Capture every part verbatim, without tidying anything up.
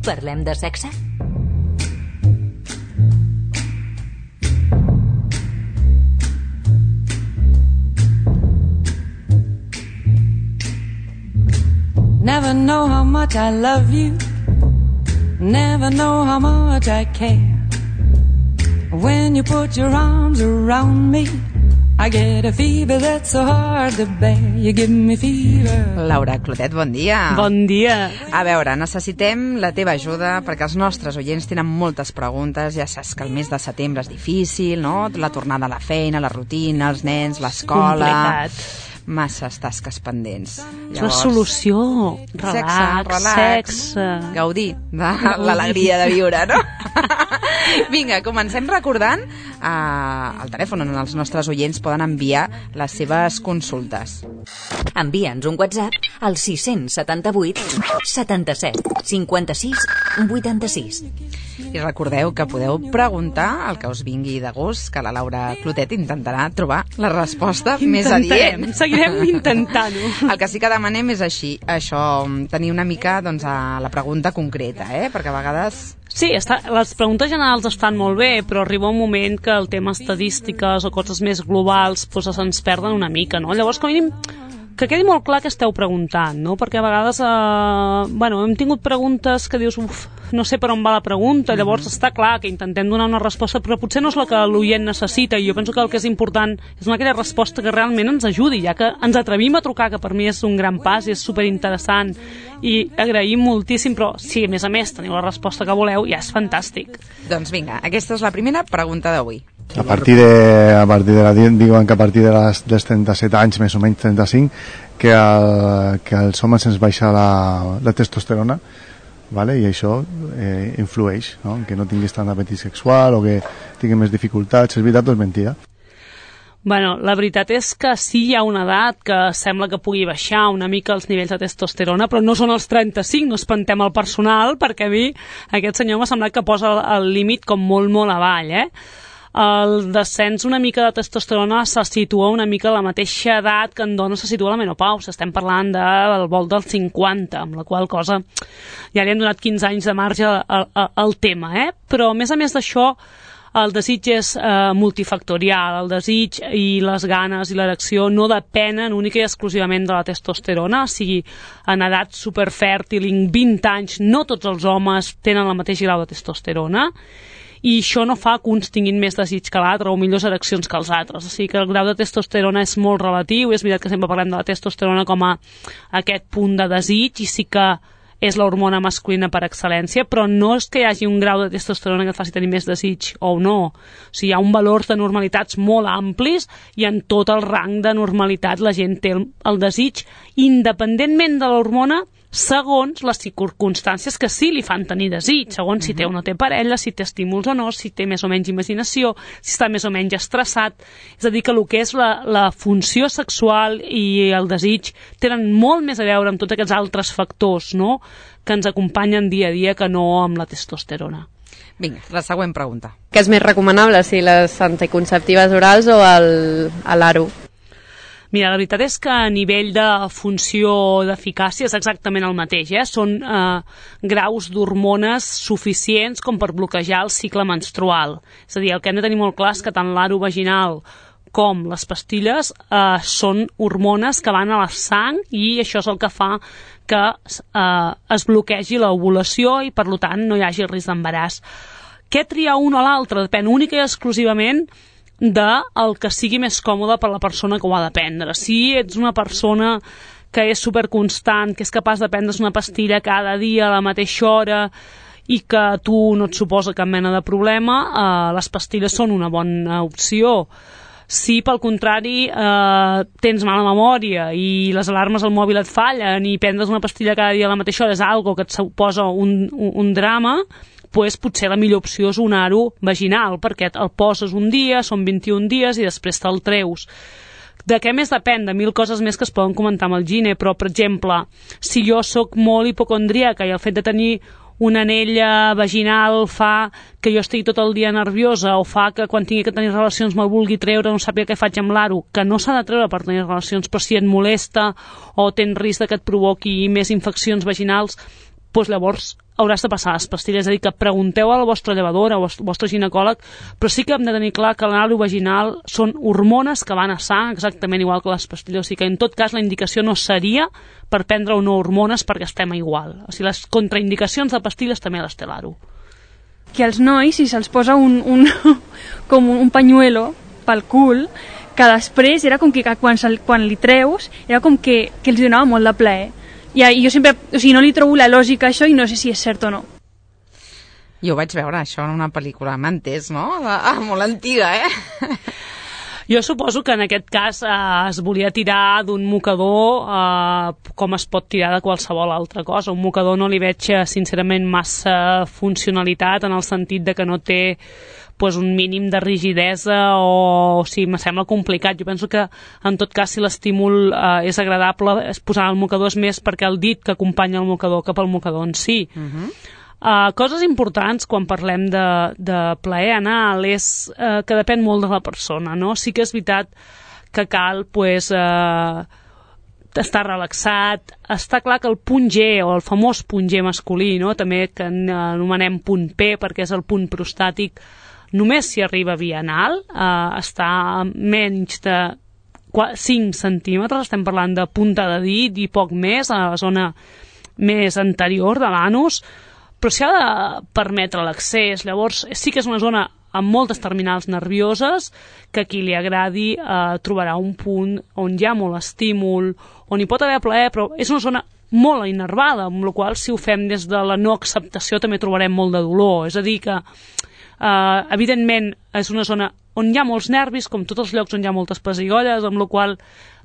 Parlem de sexe? Never know how much I love you. Never know how much I care. When you put your arms around me, I get a fever that's so hard to bear. You give me fever. Laura Clotet, bon dia. Bon dia. A veure, necessitem la teva ajuda perquè els nostres oients tenen moltes preguntes. Ja saps que el mes de setembre és difícil, no? La tornada a la feina, la rutina, els nens, l'escola... Complicat. Masses tasques pendents. És la solució. Relax, sexe, relax, sexe. Gaudir de l'alegria de viure, no? Vinga, comencem recordant eh, el telèfon on els nostres oients poden enviar les seves consultes. Envia'ns un WhatsApp al sis set vuit setanta-set cinquanta-sis vuitanta-sis. I recordeu que podeu preguntar el que us vingui de gust, que la Laura Clotet intentarà trobar la resposta més adient. Seguirem intentant-ho. El que sí que demanem és així, això, tenir una mica doncs, a la pregunta concreta, eh? Perquè a vegades... Sí, està, les preguntes generals estan molt bé, però arriba un moment que el tema estadístiques o coses més globals doncs, se'ns perden una mica, no? Llavors, com a mínim, que quedi molt clar que esteu preguntant, no? Perquè a vegades eh, bueno, hem tingut preguntes que dius, uf, no sé per on va la pregunta, llavors mm-hmm. està clar que intentem donar una resposta, però potser no és la que l'oient necessita, i jo penso que el que és important és donar aquella resposta que realment ens ajudi, ja que ens atrevim a trucar, que per mi és un gran pas i és superinteressant, i agraïm moltíssim, però si a més a més teniu la resposta que voleu, ja és fantàstic. Doncs vinga, aquesta és la primera pregunta d'avui. A partir de, a partir de la, diuen que a partir de les, dels trenta-set anys, més o menys trenta-cinc, que, el, que als homes ens baixa la, la testosterona, vale? I això eh, influeix, no? Que no tinguis tant apetit sexual o que tinguis més dificultats. És veritat o és mentida? Bueno, la veritat és que sí hi ha una edat que sembla que pugui baixar una mica els nivells de testosterona, però no són els trenta-cinc, no espantem el personal, perquè a mi aquest senyor m'ha semblat que posa el, el límit com molt, molt avall, eh? El descens una mica de testosterona se situa una mica a la mateixa edat que en dona se situa la menopausa. Estem parlant de, del vol dels cinquanta, amb la qual cosa ja li hem donat quinze anys de marge al, al, al tema, eh? Però a més a més d'això, el desig és eh, multifactorial. El desig i les ganes i l'erecció no depenen única i exclusivament de la testosterona, o sigui, en edat superfèrtil, en vint anys, no tots els homes tenen el mateix grau de testosterona, i això no fa que uns tinguin més desig que l'altre o millors ereccions que els altres. O sigui que el grau de testosterona és molt relatiu, i és veritat que sempre parlem de la testosterona com a aquest punt de desig, i sí que és l'hormona masculina per excel·lència, però no és que hi hagi un grau de testosterona que et faci tenir més desig o no. O sigui, hi ha un valor de normalitats molt amplis, i en tot el rang de normalitat la gent té el, el desig, independentment de l'hormona, segons les circumstàncies que sí li fan tenir desig, segons si té o no té parella, si té estímuls o no, si té més o menys imaginació, si està més o menys estressat. És a dir, que el que és la, la funció sexual i el desig tenen molt més a veure amb tots aquests altres factors, no?, que ens acompanyen dia a dia, que no amb la testosterona. Vinga, la següent pregunta. Què és més recomanable, si les anticonceptives orals o l'aro? Mira, la veritat és que a nivell de funció d'eficàcia és exactament el mateix, eh? Són eh, graus d'hormones suficients com per bloquejar el cicle menstrual. És a dir, el que hem de tenir molt clar és que tant l'aro vaginal com les pastilles eh, són hormones que van a la sang, i això és el que fa que eh, es bloquegi l'ovulació i, per tant, no hi hagi el risc d'embaràs. Què triar un o l'altre? Depèn única i exclusivament del que sigui més còmode per la persona que ho ha de prendre. Si ets una persona que és superconstant, que és capaç de prendre's una pastilla cada dia a la mateixa hora i que a tu no et suposa cap mena de problema, eh, les pastilles són una bona opció. Si, pel contrari, eh, tens mala memòria i les alarmes al mòbil et fallen i prendre's una pastilla cada dia a la mateixa hora és algo que et suposa un, un, un drama, pues potser la millor opció és un aro vaginal, perquè el poses un dia, són vint-i-un dies i després te'l treus. De què més depèn? De mil coses més que es poden comentar amb el gine, però, per exemple, si jo sóc molt hipocondríaca i el fet de tenir una anella vaginal fa que jo estigui tot el dia nerviosa, o fa que quan tingui que tenir relacions me'l vulgui treure, no sàpiga què faig amb l'aro, que no s'ha de treure per tenir relacions, però si et molesta o tens risc que et provoqui més infeccions vaginals, doncs llavors hauràs de passar les pastilles. És a dir, que pregunteu al vostre llevador, al vostre ginecòleg, però sí que hem de tenir clar que l'anàlisi vaginal són hormones que van a sang exactament igual que les pastilles. O sigui que en tot cas la indicació no seria per prendre o no hormones perquè estem igual. O sigui, les contraindicacions de pastilles també les té l'Aro. Que als nois, si se'ls posa un, un, com un, un pañuelo pel cul, que després era com que quan, quan li treus era com que, que els donava molt de plaer. I jo sempre, o sigui, no li trobo la lògica a això i no sé si és cert o no. Jo vaig veure això en una pel·lícula, m'entès, no? Ah, molt antiga, eh? Jo suposo que en aquest cas eh, es volia tirar d'un mocador eh, com es pot tirar de qualsevol altra cosa. Un mocador no li veig, sincerament, massa funcionalitat en el sentit de que no té pues, un mínim de rigidesa o, o sigui, me sembla complicat. Jo penso que, en tot cas, si l'estímul eh, és agradable, es posar el mocador és més perquè el dit que acompanya el mocador que pel mocador en si. Uh-huh. Uh, coses importants quan parlem de, de plaer anal és uh, que depèn molt de la persona, no? Sí que és veritat que cal pues, uh, estar relaxat. Està clar que el punt G, o el famós punt G masculí, no? També que anomenem punt P perquè és el punt prostàtic, només si arriba via anal, uh, està a menys de cinc centímetres, estem parlant de punta de dit i poc més, a la zona més anterior de l'anus, però s'ha de permetre l'accés. Llavors sí que és una zona amb moltes terminals nervioses que a qui li agradi eh, trobarà un punt on hi ha molt estímul, on hi pot haver plaer, però és una zona molt innervada, amb la qual si ho fem des de la no acceptació també trobarem molt de dolor. És a dir que eh, evidentment és una zona on hi ha molts nervis, com tots els llocs on hi ha moltes pessigolles, amb la qual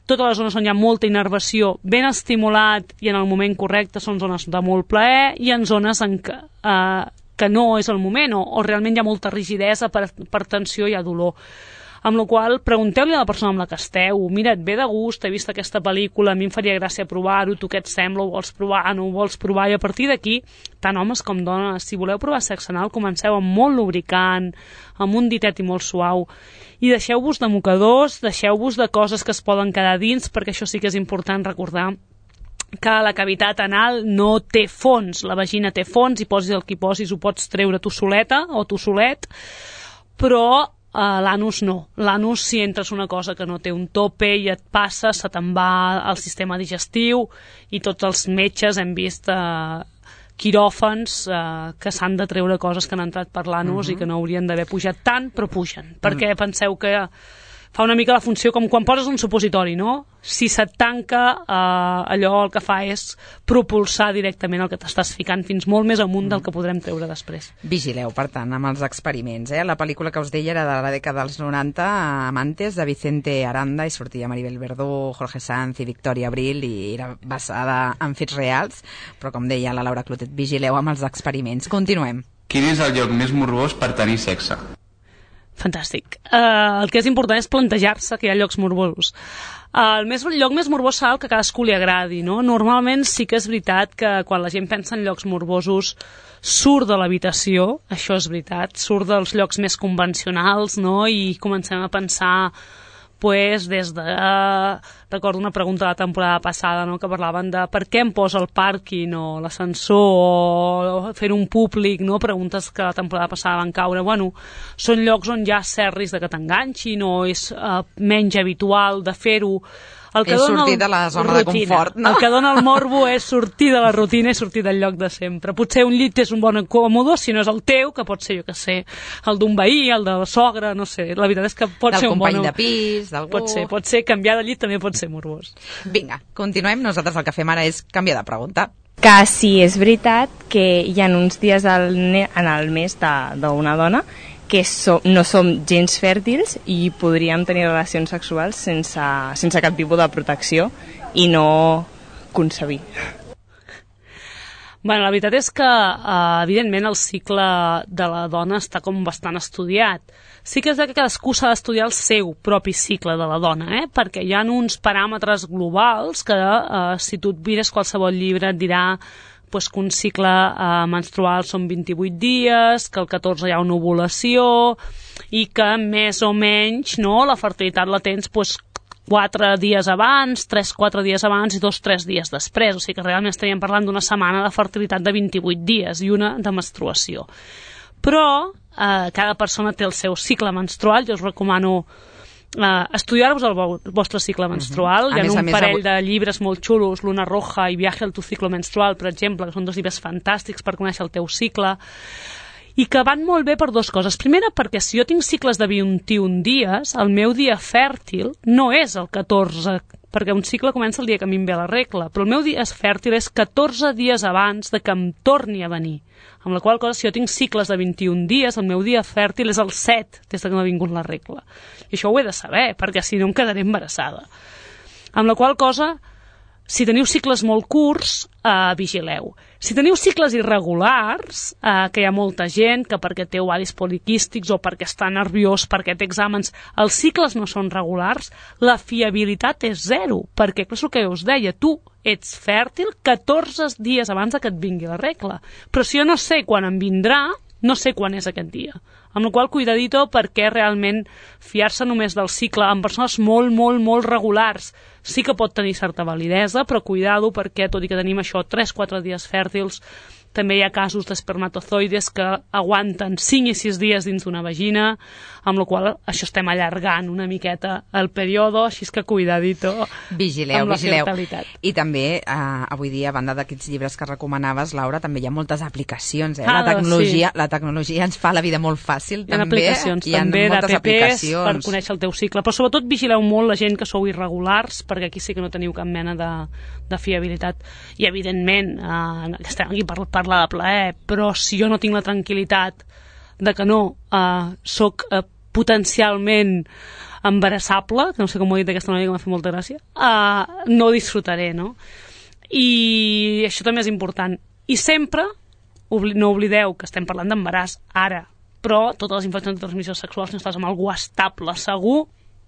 totes les zones on hi ha molta innervació, ben estimulat i en el moment correcte són zones de molt plaer, i en zones en què, eh, que no és el moment o, o realment hi ha molta rigidesa per, per tensió i hi ha dolor. Amb la qual pregunteu-li a la persona amb la que esteu, mira, et ve de gust, he vist aquesta pel·lícula, a mi em faria gràcia provar-ho, tu què et sembla, ho vols provar, no ho vols provar, i a partir d'aquí, tant homes com dones, si voleu provar sexe anal, comenceu amb molt lubricant, amb un ditet i molt suau, i deixeu-vos de mocadors, deixeu-vos de coses que es poden quedar dins, perquè això sí que és important recordar que la cavitat anal no té fons, la vagina té fons, i posis el que posis ho pots treure tu soleta o tu solet, però Uh, l'anus no. L'anus, si entres una cosa que no té un tope i et passa, se te'n va al sistema digestiu, i tots els metges hem vist uh, quiròfans uh, que s'han de treure coses que han entrat per l'anus uh-huh. i que no haurien d'haver pujat tant, però pugen, perquè uh-huh. penseu que fa una mica la funció com quan poses un supositori, no? Si se't tanca, eh, allò el que fa és propulsar directament el que t'estàs ficant fins molt més amunt del que podrem treure després. Vigileu, per tant, amb els experiments. Eh? La pel·lícula que us deia era de la dècada dels noranta, Amantes, de Vicente Aranda, i sortia Maribel Verdú, Jorge Sanz i Victoria Abril, i era basada en fets reals, però com deia la Laura Clotet, vigileu amb els experiments. Continuem. Quin és el lloc més morbós per tenir sexe? Fantàstic. Uh, el que és important és plantejar-se que hi ha llocs morbosos. Uh, el, més, el lloc més morbós serà el que a cadascú li agradi, no? Normalment sí que és veritat que quan la gent pensa en llocs morbosos surt de l'habitació, això és veritat, surt dels llocs més convencionals, no? I comencem a pensar pues, des de... Uh, recordo una pregunta de la temporada passada, no?, que parlaven de per què em posa el pàrquing o l'ascensor o fer un públic, no?, preguntes que la temporada passada van caure. Bueno, són llocs on hi ha cert risc de que t'enganxin o és uh, menys habitual de fer-ho. El que és sortir el... de la zona rutina. De confort, no? El que dona el morbo és sortir de la rutina i sortir del lloc de sempre. Potser un llit és un bon còmode, si no és el teu, que pot ser, jo que sé, el d'un veí, el de la sogra, no sé. La veritat és que pot del ser un bon... Del company de pis, d'algú... Pot ser, pot ser, canviar de llit també pot ser morbós. Vinga, continuem. Nosaltres el que fem ara és canviar de pregunta. Que sí, és veritat que hi ha uns dies al en el mes d'una dona que som, no som gens fèrtils i podríem tenir relacions sexuals sense, sense cap tipus de protecció i no concebir. Bueno, la veritat és que, eh, evidentment, el cicle de la dona està com bastant estudiat. Sí que és que cadascú s'ha d'estudiar el seu propi cicle de la dona, eh? Perquè hi ha uns paràmetres globals que, eh, si tu et mires qualsevol llibre, et dirà pues, que un cicle eh, menstrual són vint-i-vuit dies, que el catorze hi ha una ovulació i que més o menys no, la fertilitat la tens pues, quatre dies abans, tres quatre dies abans i dos tres dies després. O sigui que realment estaríem parlant d'una setmana de fertilitat de vint-i-vuit dies i una de menstruació. Però eh, cada persona té el seu cicle menstrual. Jo us recomano Uh, estudiar-vos el vostre cicle menstrual. Uh-huh. Hi ha un més, parell avui... de llibres molt xulos, Luna Roja i Viaje al tu ciclo menstrual, per exemple, que són dos llibres fantàstics per conèixer el teu cicle, i que van molt bé per dues coses. Primera, perquè si jo tinc cicles de vint-i-un dies, el meu dia fèrtil no és el catorze, perquè un cicle comença el dia que a mi em ve la regla, però el meu dia fèrtil és catorze dies abans de que em torni a venir. Amb la qual cosa, si jo tinc cicles de vint-i-un dies, el meu dia fèrtil és el set des que m'ha vingut la regla. I això ho he de saber, perquè si no em quedaré embarassada. Amb la qual cosa, si teniu cicles molt curts, eh, vigileu. Si teniu cicles irregulars, eh, que hi ha molta gent que perquè té ovaris poliquístics o perquè està nerviós, perquè té exàmens, els cicles no són regulars, la fiabilitat és zero, perquè és el que us deia, tu ets fèrtil catorze dies abans que et vingui la regla. Però si jo no sé quan em vindrà, no sé quan és aquest dia. Amb la qual cosa, cuidadito, perquè realment fiar-se només del cicle en persones molt, molt, molt regulars sí que pot tenir certa validesa, però cuidado perquè, tot i que tenim això tres quatre dies fèrtils, també hi ha casos d'espermatozoides que aguanten cinc i sis dies dins d'una vagina, amb la qual això estem allargant una miqueta el període, així que cuidadito vigileu, amb la vigileu. fertilitat. I també, eh, avui dia, a banda d'aquests llibres que recomanaves, Laura, també hi ha moltes aplicacions. Eh? Ah, la, tecnologia, sí. la tecnologia ens fa la vida molt fàcil. Hi ha també. aplicacions hi ha també moltes d'A P Ps aplicacions per conèixer el teu cicle, però sobretot vigileu molt la gent que sou irregulars, perquè aquí sí que no teniu cap mena de, de fiabilitat. I evidentment, eh, estem aquí per parlar de plaer, però si jo no tinc la tranquil·litat de que no eh, soc eh, potencialment embarassable, que no sé com ho he dit d'aquesta manera que m'ha fet molta gràcia, eh, no disfrutaré, no? I això també és important. I sempre, obli no oblideu que estem parlant d'embaràs ara, però totes les infeccions de transmissió sexual, si no estàs amb algú estable, segur,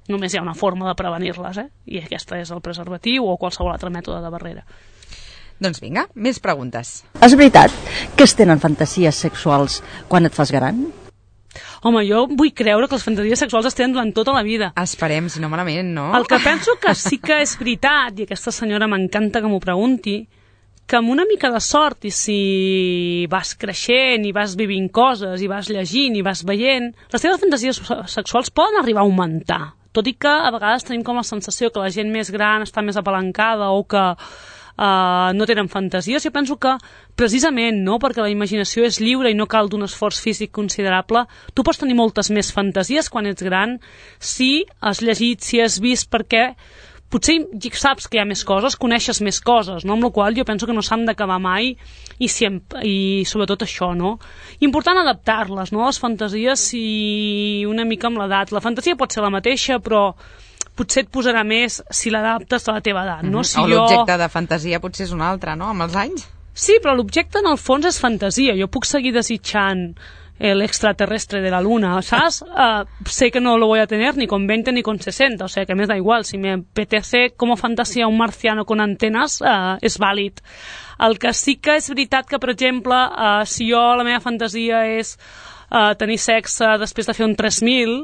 només hi ha una forma de prevenir-les, eh? I aquesta és el preservatiu o qualsevol altre mètode de barrera. Doncs vinga, més preguntes. És veritat que es tenen fantasies sexuals quan et fas gran? Home, jo vull creure que les fantasies sexuals es tenen durant tota la vida. Esperem, si no malament, no? El que penso que sí que és veritat, i aquesta senyora m'encanta que m'ho pregunti, que amb una mica de sort, i si vas creixent, i vas vivint coses, i vas llegint, i vas veient, les teves fantasies sexuals poden arribar a augmentar. Tot i que a vegades tenim com la sensació que la gent més gran està més apalancada o que Uh, no tenen fantasies. Jo penso que precisament, no, perquè la imaginació és lliure i no cal d'un esforç físic considerable, tu pots tenir moltes més fantasies quan ets gran si has llegit, si has vist, perquè potser saps que hi ha més coses, coneixes més coses, no? Amb la qual jo penso que no s'han d'acabar mai i, si em, i sobretot això, no? Important adaptar-les, no? Les fantasies i una mica amb l'edat. La fantasia pot ser la mateixa, però potser et posarà més si l'adaptes a la teva edat, no? Mm-hmm. Si o l'objecte jo... de fantasia potser és un altre, no?, amb els anys? Sí, però l'objecte en el fons és fantasia. Jo puc seguir desitjant el extraterrestre de la luna, ¿sabes? Uh, sé que no lo voy a tener ni con veinte ni con sesenta, o sea que me da igual. Si me apetece como fantasía un marciano con antenas, uh, és vàlid. El que sí que és veritat que, per exemple, uh, si jo la meva fantasia és uh, tenir sexe després de fer un tres mil,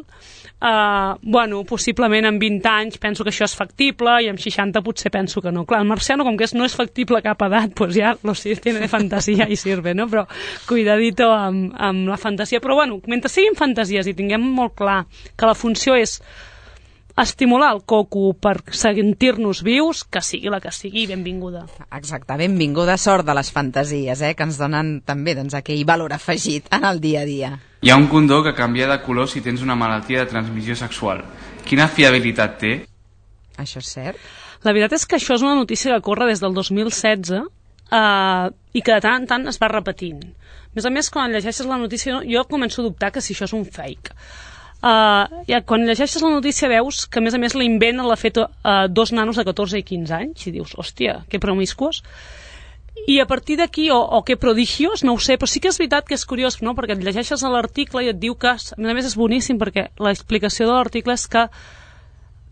Uh, bueno, possiblement en vint anys penso que això és factible i en seixanta potser penso que no. Clar, el marciano, com que és, no és factible a cap edat, pues ja lo sí, tiene fantasia i sirve, no? Però cuidadito amb, amb la fantasia. Però bueno, mentre siguin fantasies i tinguem molt clar que la funció és estimular el coco per sentir-nos vius, que sigui la que sigui, benvinguda. Exacte, benvinguda, sort de les fantasies, eh, que ens donen també doncs, aquell valor afegit en el dia a dia. Hi ha un condó que canvia de color si tens una malaltia de transmissió sexual. Quina fiabilitat té? Això és cert? La veritat és que això és una notícia que corre des del dos mil setze eh, i que de tant en tant es va repetint. A més a més, quan llegeixes la notícia, jo començo a dubtar que si això és un fake. Uh, ja, quan llegeixes la notícia veus que a més a més l'invent l'ha fet uh, dos nanos de catorze i quinze anys i dius, hòstia, que promiscuos. I a partir d'aquí, o, o que prodigios, no ho sé, però sí que és veritat que és curiós, no? Perquè et llegeixes l'article i et diu que, a més a més és boníssim perquè l'explicació de l'article és que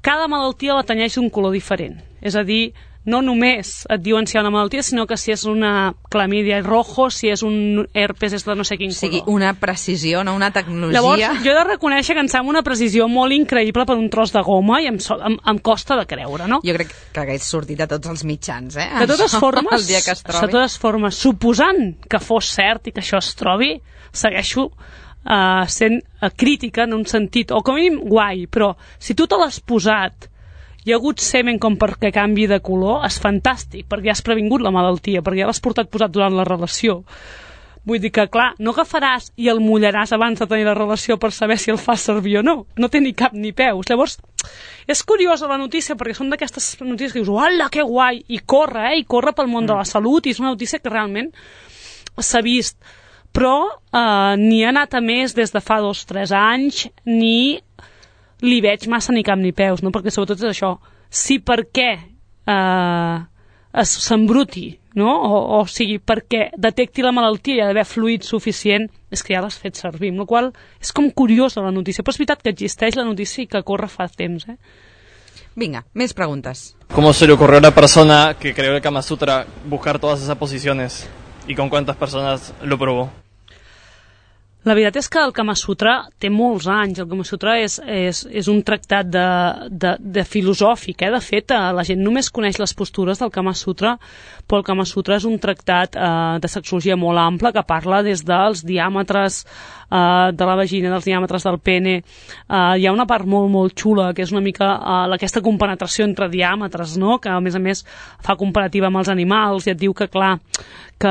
cada malaltia la tenyeix d'un color diferent. És a dir, no només et diuen si hi ha una malaltia, sinó que si és una clamídia rojo, si és un herpes és de no sé quin color. O sigui, una precisió, no una tecnologia... Llavors, jo he de reconèixer que em sembla una precisió molt increïble per un tros de goma i em, so, em, em costa de creure, no? Jo crec que hagués sortit a tots els mitjans, eh? De totes Això, formes, el dia que es trobi. de totes formes, suposant que fos cert i que això es trobi, segueixo uh, sent uh, crítica en un sentit, o com a mínim guai, però si tu te l'has posat hi ha hagut semen com perquè canvi de color, és fantàstic, perquè has previngut la malaltia, perquè ja l'has portat posat durant la relació. Vull dir que, clar, no agafaràs i el mullaràs abans de tenir la relació per saber si el fas servir o no. No té ni cap ni peus. Llavors, és curiosa la notícia, perquè són d'aquestes notícies que dius, hola, que guai, i corre, eh, i corre pel món de la salut, i és una notícia que realment s'ha vist. Però eh, ni ha anat a més des de fa dos o tres anys, ni li veig massa ni cap ni peus, no? Perquè sobretot és això, si per què eh, s'embruti, no? O, o sigui, perquè detecti la malaltia i ha d'haver fluid suficient, és que ja l'has fet servir, amb la qual és com curiosa la notícia, però és veritat que existeix la notícia i que corre fa temps, eh? Vinga, més preguntes. ¿Cómo se le ocurrió a una persona que creó el Kama Sutra buscar todas esas posiciones? ¿Y con cuántas personas lo probó? La veritat és que el Kama Sutra té molts anys. El Kama Sutra és, és, és un tractat de, de, de filosòfic. Eh? De fet, la gent només coneix les postures del Kama Sutra, però el Kama Sutra és un tractat eh, de sexologia molt ample que parla des dels diàmetres eh, de la vagina, dels diàmetres del pene. Eh, hi ha una part molt, molt xula, que és una mica eh, aquesta compenetració entre diàmetres, no? Que a més a més fa comparativa amb els animals i et diu que, clar, que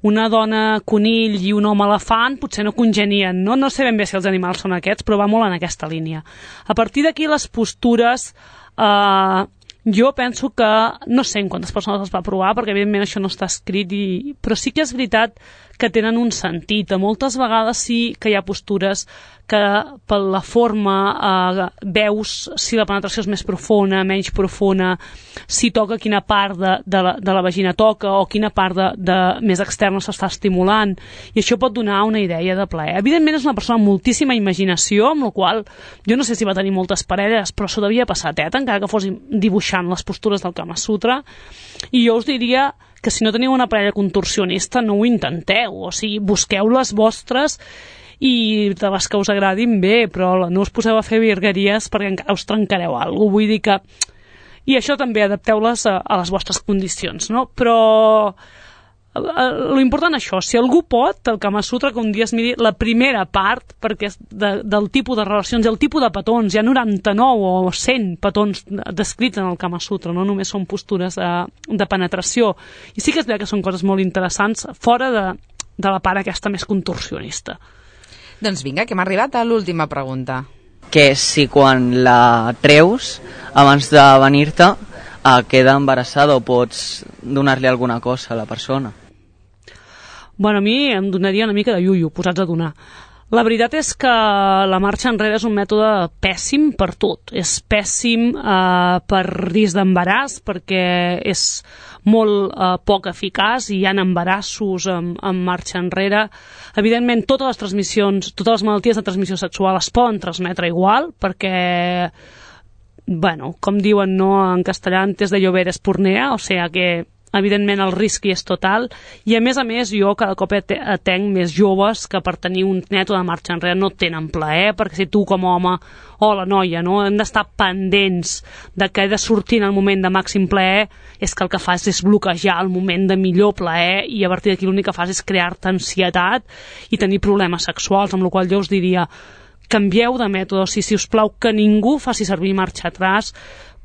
una dona conill i un home elefant potser no congenien, no? No sé ben bé si els animals són aquests, però va molt en aquesta línia. A partir d'aquí les postures, eh, jo penso que, no sé en quantes persones les va provar, perquè evidentment això no està escrit, i, però sí que és veritat que tenen un sentit. A moltes vegades sí que hi ha postures que per la forma eh, veus si la penetració és més profunda, menys profunda, si toca quina part de, de, la, de la vagina toca o quina part de, de més externa s'està estimulant, i això pot donar una idea de plaer. Evidentment és una persona amb moltíssima imaginació, amb la qual jo no sé si va tenir moltes parelles, però s'ho devia passar teta, encara que fos dibuixant les postures del Kama Sutra, i jo us diria que si no teniu una parella contorsionista no ho intenteu, o sigui, busqueu les vostres i de les que us agradin bé, però no us poseu a fer virgueries perquè encara us trencareu alguna cosa. Vull dir que... I això també, adapteu-les a, a les vostres condicions, no? Però lo important això, si algú pot, el Kama Sutra, que un dia es miri la primera part, perquè és de, del tipus de relacions i el tipus de petons, hi ha noranta-nou o cent petons descrits en el Kama Sutra, no només són postures de, de penetració, i sí que és veritat que són coses molt interessants fora de, de la part aquesta més contorsionista. Doncs vinga, que hem arribat a l'última pregunta. Que si quan la treus abans de venir-te eh, queda embarassada o pots donar-li alguna cosa a la persona? Bueno, a mi em donaria una mica de iuiu, posats a donar. La veritat és que la marxa enrere és un mètode pèssim per tot. És pèssim eh, per risc d'embaràs, perquè és molt eh, poc eficaç i hi ha embarassos amb, amb marxa enrere. Evidentment, totes les transmissions, totes les malalties de transmissió sexual es poden transmetre igual, perquè, bueno, com diuen, no, en castellà, antes de llover es pornea, o sigui que evidentment el risc hi és total, i a més a més jo cada cop atenc més joves que per tenir un mètode de marxa enrere no tenen plaer, perquè si tu com a home o la noia, no, hem d'estar pendents de que he de sortir en el moment de màxim plaer, és que el que fas és bloquejar el moment de millor plaer, i a partir d'aquí l'únic que fas és crear-te ansietat i tenir problemes sexuals, amb la qual jo us diria canvieu de mètode, o sigui, si us plau que ningú faci servir marxa atràs,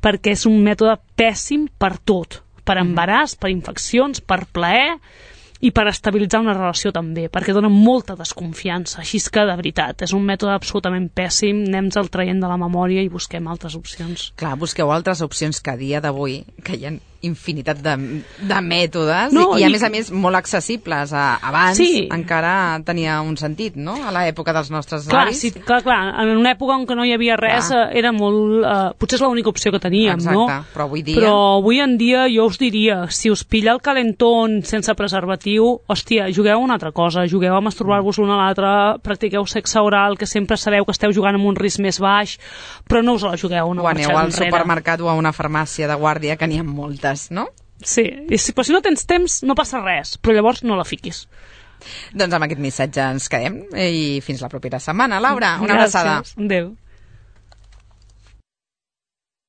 perquè és un mètode pèssim per tot, per embaràs, per infeccions, per plaer i per estabilitzar una relació també, perquè dona molta desconfiança, així que de veritat és un mètode absolutament pèssim, anem-se'l traient de la memòria i busquem altres opcions. Clar, busqueu altres opcions que a dia d'avui, que hi ha infinitat de, de mètodes, no, i, i a més a més molt accessibles. Abans sí. Encara tenia un sentit, no?, a l'època dels nostres clar, avis. Sí, clar, clar, en una època en què no hi havia res clar. Era molt... Eh, potser és l'única opció que teníem, exacte, no? Però avui dia... Però avui en dia jo us diria, si us pilla el calentón sense preservatiu, hòstia, jugueu una altra cosa, jugueu a masturbar-vos l'un a l'altre, practiqueu sexe oral, que sempre sabeu que esteu jugant amb un risc més baix, però no us la jugueu una o aneu al supermercat o a una farmàcia de guàrdia, que n'hi ha moltes digues, no? Sí, i si, però si no tens temps no passa res, però llavors no la fiquis. Doncs amb aquest missatge ens quedem i fins la propera setmana. Laura, una abraçada. Gràcies, adéu.